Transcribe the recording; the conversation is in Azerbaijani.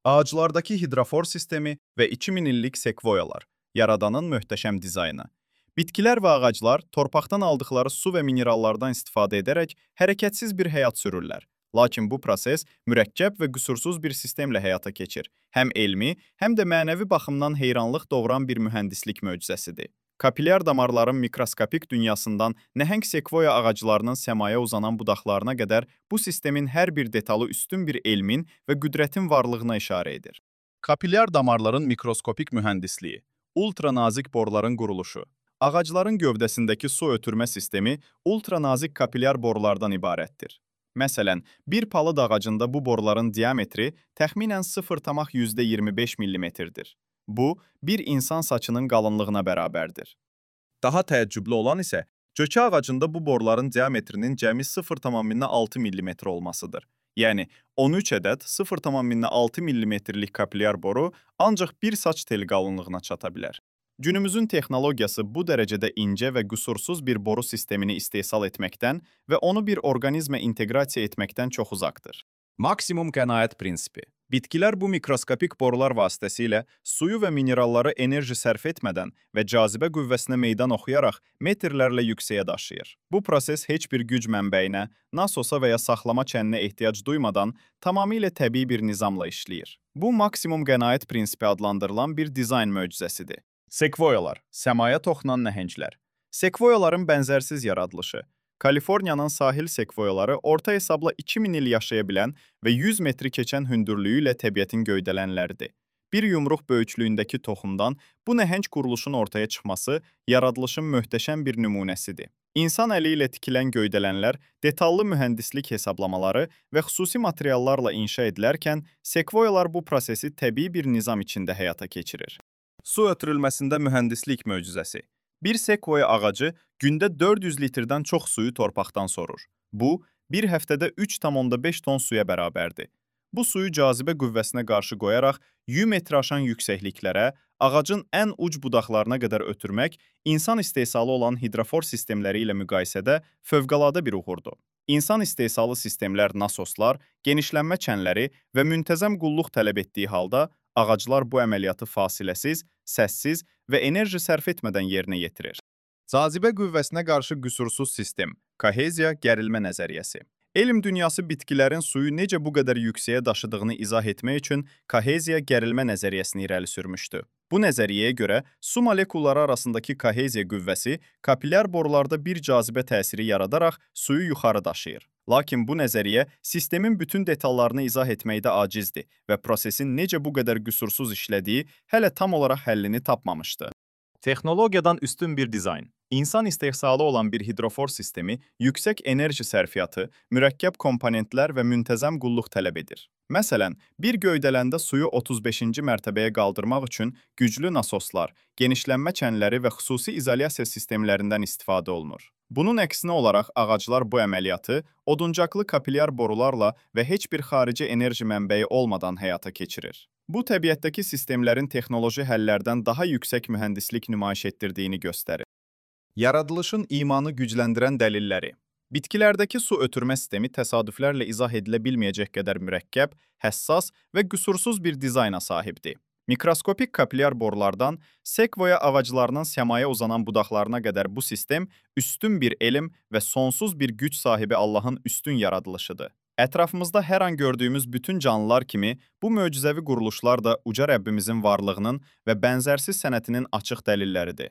Ağaclardakı hidrofor sistemi və 2000 illik sekvoyalar, yaradanın möhtəşəm dizaynı. Bitkilər və ağaclar torpaqdan aldıqları su və minerallardan istifadə edərək hərəkətsiz bir həyat sürürlər. Lakin bu proses mürəkkəb və qüsursuz bir sistemlə həyata keçir. Həm elmi, həm də mənəvi baxımdan heyranlıq doğuran bir mühəndislik möcüzəsidir. Kapilyar damarların mikroskopik dünyasından nəhəng sekvoya ağaclarının səmaya uzanan budaqlarına qədər bu sistemin hər bir detalı üstün bir elmin və qüdrətin varlığına işarə edir. Kapilyar damarların mikroskopik mühəndisliyi, ultranazik borların quruluşu. Ağacların gövdəsindəki su ötürmə sistemi ultranazik kapilyar borlardan ibarətdir. Məsələn, bir palıd ağacında bu borların diametri təxminən 0,25 mm-dir. Bu, bir insan saçının qalınlığına bərabərdir. Daha təəccüblü olan isə, cökə ağacında bu borların diametrinin cəmi 0,6 mm olmasıdır. Yəni, 13 ədəd 0,6 mm-lik kapilyar boru ancaq bir saç teli qalınlığına çata bilər. Günümüzün texnologiyası bu dərəcədə incə və qüsursuz bir boru sistemini istehsal etməkdən və onu bir orqanizmə inteqrasiya etməkdən çox uzaqdır. Maksimum qənaət prinsipi. Bitkilər bu mikroskopik borular vasitəsilə suyu və mineralları enerji sərf etmədən və cazibə qüvvəsinə meydan oxuyaraq metrlərlə yüksəyə daşıyır. Bu proses heç bir güc mənbəyinə, nasosa və ya saxlama çəninə ehtiyac duymadan tamamilə təbii bir nizamla işləyir. Bu, maksimum qənaət prinsipi adlandırılan bir dizayn möcüzəsidir. Sekvoyalar, səmaya toxunan nəhənglər. Sekvoyaların bənzərsiz yaradılışı. Kaliforniyanın sahil sekvoyaları orta hesabla 2000 il yaşaya bilən və 100 metri keçən hündürlüyü ilə təbiətin göydələnləridir. Bir yumruq böyüklüyündəki toxumdan bu nəhəng quruluşun ortaya çıxması yaradılışın möhtəşəm bir nümunəsidir. İnsan əli ilə tikilən göydələnlər detallı mühəndislik hesablamaları və xüsusi materiallarla inşa edilərkən, sekvoyalar bu prosesi təbii bir nizam içində həyata keçirir. Su ötürülməsində mühəndislik möcüzəsi. Bir sekvoya ağacı gündə 400 litrdən çox suyu torpaqdan sorur. Bu, bir həftədə 3,5 ton suya bərabərdir. Bu suyu cazibə qüvvəsinə qarşı qoyaraq 100 metr aşan yüksəkliklərə, ağacın ən uc budaqlarına qədər ötürmək insan istehsalı olan hidrofor sistemləri ilə müqayisədə fövqəladə bir uğurdur. İnsan istehsalı sistemlər nasoslar, genişlənmə çənləri və müntəzəm qulluq tələb etdiyi halda, ağaclar bu əməliyyatı fasiləsiz, səssiz və enerji sərf etmədən yerinə yetirir. Cazibə qüvvəsinə qarşı qüsursuz sistem, koheziya gərilmə nəzəriyyəsi. Elm dünyası bitkilərin suyu necə bu qədər yüksəyə daşıdığını izah etmək üçün koheziya gərilmə nəzəriyyəsini irəli sürmüşdü. Bu nəzəriyyəyə görə su molekulları arasındakı koheziya qüvvəsi kapilyar borularda bir cazibə təsiri yaradaraq suyu yuxarı daşıyır. Lakin bu nəzəriyyə sistemin bütün detallarını izah etməkdə acizdir və prosesin necə bu qədər qüsursuz işlədiyi hələ tam olaraq həllini tapmamışdı. Texnologiyadan üstün bir dizayn. İnsan istehsalı olan bir hidrofor sistemi yüksək enerji sərfiyyatı, mürəkkəb komponentlər və müntəzəm qulluq tələb edir. Məsələn, bir göydələndə suyu 35-ci mərtəbəyə qaldırmaq üçün güclü nasoslar, genişlənmə çənləri və xüsusi izolyasiya sistemlərindən istifadə olunur. Bunun əksinə olaraq ağaclar bu əməliyyatı oduncaqlı kapilyar borularla və heç bir xarici enerji mənbəyi olmadan həyata keçirir. Bu, təbiətdəki sistemlərin texnoloji həllərdən daha yüksək mühəndislik nümayiş etdirdiyini göstərir. Yaradılışın imanı gücləndirən dəlilləri. Bitkilərdəki su ötürmə sistemi təsadüflərlə izah edilə bilməyəcək qədər mürəkkəb, həssas və qüsursuz bir dizayna sahibdir. Mikroskopik kapilyar borulardan sekvoya ağaclarının səmaya uzanan budaqlarına qədər bu sistem üstün bir elm və sonsuz bir güc sahibi Allahın üstün yaradılışıdır. Ətrafımızda hər an gördüyümüz bütün canlılar kimi bu möcüzəvi quruluşlar da uca Rəbbimizin varlığının və bənzərsiz sənətinin açıq dəlilləridir.